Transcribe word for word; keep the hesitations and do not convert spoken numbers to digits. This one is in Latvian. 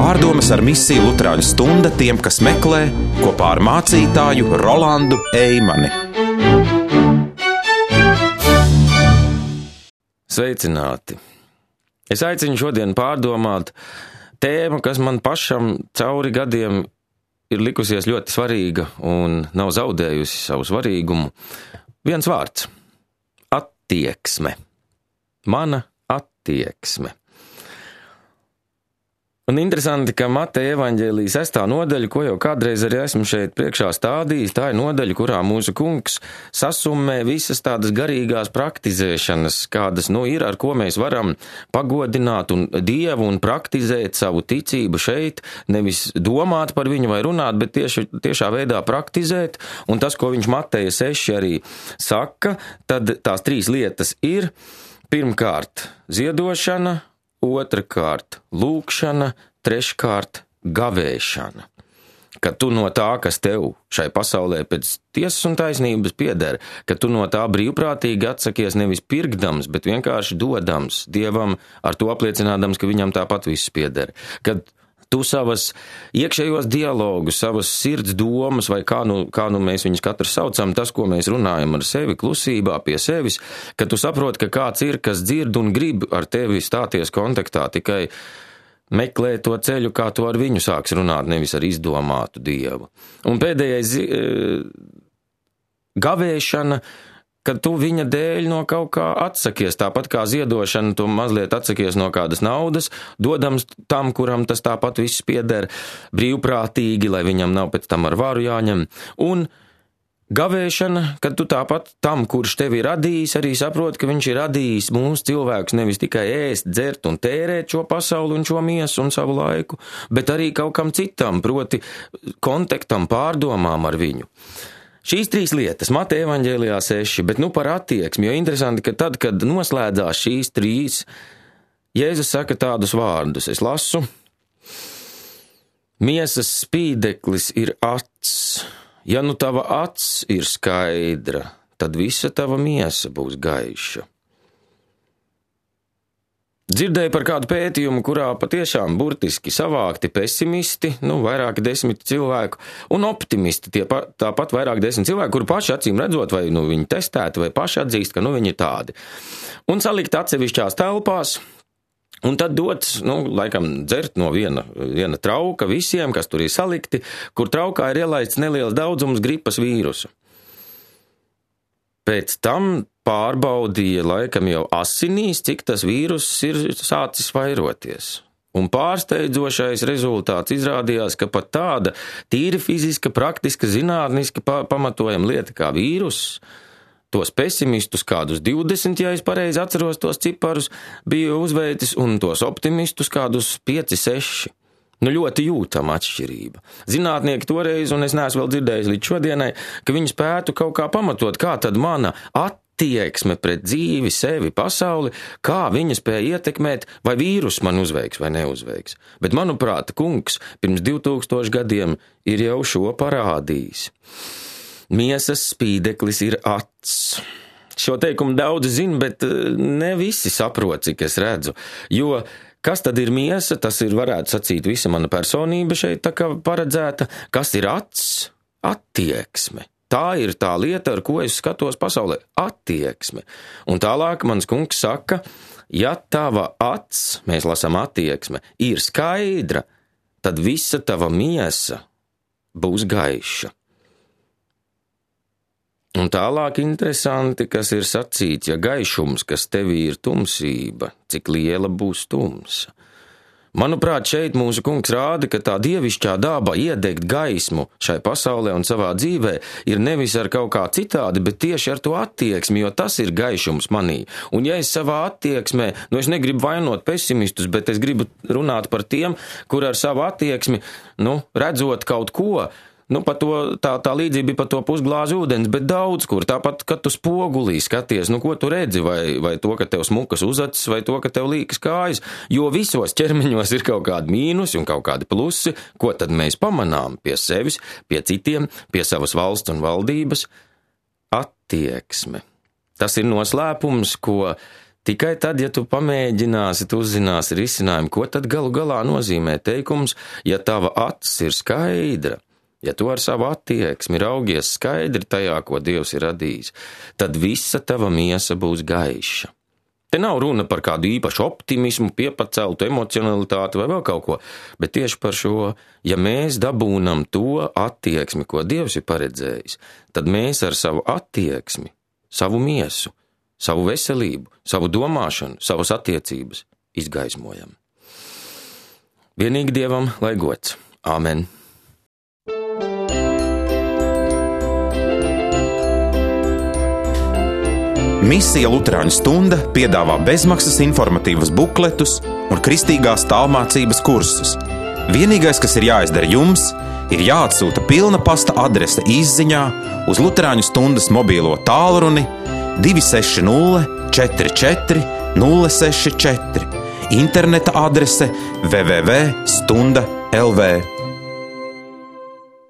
Pārdomas ar misiju Luterāņu stunda tiem, kas meklē, kopā ar mācītāju Rolandu Eimani. Sveicināti! Es aicinu šodien pārdomāt tēmu, kas man pašam cauri gadiem ir likusies ļoti svarīga un nav zaudējusi savu svarīgumu. Viens vārds – attieksme. Mana attieksme. Un interesanti, ka Mateja evaņģēlija sestā nodaļa, ko jau kādreiz arī esmu šeit priekšā stādījis, tā ir nodaļa, kurā mūsu kungs sasummē visas tādas garīgās praktizēšanas, kādas nu ir, ar ko mēs varam pagodināt un Dievu un praktizēt savu ticību šeit, nevis domāt par viņu vai runāt, bet tieši tiešā veidā praktizēt. Un tas, ko viņš Mateja seši arī saka, tad tās trīs lietas ir: pirmkārt ziedošana, otrkārt lūkšana, treškārt gavēšana. Ka tu no tā, kas tev šai pasaulē pēc tiesas un taisnības pieder, ka tu no tā brīvprātīgi atsakies nevis pirkdams, bet vienkārši dodams Dievam, ar to apliecinādams, ka viņam tāpat viss pieder. Kad tu savas iekšējos dialogus, savas sirds domas, vai kā nu, kā nu mēs viņus katrs saucam, tas, ko mēs runājam ar sevi klusībā pie sevis, ka tu saproti, ka kāds ir, kas dzird un grib ar tevi stāties kontaktā, tikai meklē to ceļu, kā tu ar viņu sāks runāt, nevis ar izdomātu Dievu. Un pēdējais gavēšana, kad tu viņa dēļ no kaut kā atsakies, tāpat kā ziedošana, tu mazliet atsakies no kādas naudas, dodams tam, kuram tas tāpat viss pieder, brīvprātīgi, lai viņam nav pēc tam ar varu jāņem. Un gavēšana, kad tu tāpat tam, kurš tevi ir radījis, arī saproti, ka viņš ir radījis mūsu cilvēkus nevis tikai ēst, dzert un tērēt šo pasauli un šo miesu un savu laiku, bet arī kaut kam citam, proti kontaktam, pārdomām ar viņu. Šīs trīs lietas, Mateja evaņģēlijā seši, bet nu par attieksmi, jo interesanti, ka tad, kad noslēdzās šīs trīs, Jēzus saka tādus vārdus. Es lasu: miesas spīdeklis ir acs. Ja nu tava acs ir skaidra, tad visa tava miesa būs gaiša. Dzirdēju par kādu pētījumu, kurā patiešām burtiski savākti pesimisti, nu, vairāki desmit cilvēku, un optimisti, tie pa, tāpat vairāk desmit cilvēku, kuri paši acīm redzot, vai nu viņi testēti, vai paši atzīst, ka nu viņi ir tādi. Un salikt atsevišķās telpās, un tad dots, nu, laikam dzert no viena, viena trauka visiem, kas tur ir salikti, kur traukā ir ielaists neliels daudzums gripas vīrusu. Pēc tam pārbaudīja laikam jau asinīs, cik tas vīruss ir sācis vairoties. Un pārsteidzošais rezultāts izrādījās, ka pat tāda tīri fiziska, praktiska, zinātniska pamatojama lieta kā vīruss, tos pesimistus kādus divdesmit, ja es pareizi atceros tos ciparus, bija uzveicis, un tos optimistus kādus pieci, seši. Nu, ļoti jūtama atšķirība. Zinātnieki toreiz, un es neesmu vēl dzirdējis līdz šodienai, ka viņi spētu kaut kā pamatot, kā tad mana attieksme pret dzīvi, sevi, pasauli, kā viņa spēja ietekmēt, vai vīrus man uzveiks vai neuzveiks. Bet, manuprāt, kungs pirms divtūkstoši gadiem ir jau šo parādījis. Miesas spīdeklis ir acs. Šo teikumu daudzi zina, bet ne visi saprot, cik es redzu, jo kas tad ir miesa? Tas ir, varētu sacīt, visa mana personība šeit tā kā paredzēta. Kas ir acs? Attieksme. Tā ir tā lieta, ar ko es skatos pasaulē. Attieksme. Un tālāk mans kungs saka, ja tava acs, mēs lasām attieksme, ir skaidra, tad visa tava miesa būs gaiša. Un tālāk interesanti, kas ir sacīts, ja gaišums, kas tevī ir tumsība, cik liela būs tumsa. Manuprāt, šeit mūsu kungs rāda, ka tā dievišķā daba iedegt gaismu šai pasaulē un savā dzīvē ir nevis ar kaut kā citādi, bet tieši ar to attieksmi, jo tas ir gaišums manī. Un ja es savā attieksmē, nu es negribu vainot pesimistus, bet es gribu runāt par tiem, kur ar savu attieksmi, nu, redzot kaut ko, Nu, pa to, tā, tā līdzība bija par to pusglāzi ūdens, bet daudz kur. Tāpat, kad tu spogulī skaties, nu, ko tu redzi, vai, vai to, ka tev smukas uzacis, vai to, ka tev līkas kājas, jo visos ķermeņos ir kaut kādi mīnusi un kaut kādi plusi, ko tad mēs pamanām pie sevis, pie citiem, pie savas valsts un valdības. Attieksme. Tas ir noslēpums, ko Tikai tad, ja tu pamēģināsi, tu uzzināsi risinājumu, ko tad galu galā nozīmē teikums, ja tava acis ir skaidra, ja tu ar savu attieksmi raugies skaidri tajā, ko Dievs ir radījis, tad visa tava miesa būs gaiša. Te nav runa par kādu īpašu optimismu, piepaceltu emocionalitāti vai vēl kaut ko, bet tieši par šo, ja mēs dabūnam to attieksmi, ko Dievs ir paredzējis, tad mēs ar savu attieksmi, savu miesu, savu veselību, savu domāšanu, savas attiecības izgaismojam. Vienīgi Dievam lai gods. Āmen. Misija Luterāņu stunda piedāvā bezmaksas informatīvas bukletus un kristīgās tālmācības kursus. Vienīgais, kas ir jāizdara jums, ir jāatsūta pilna pasta adrese izziņā uz Luterāņu stundas mobīlo tālruni divi seši nulle četri četri nulle seši četri, interneta adrese w w w punkt stunda punkt l v.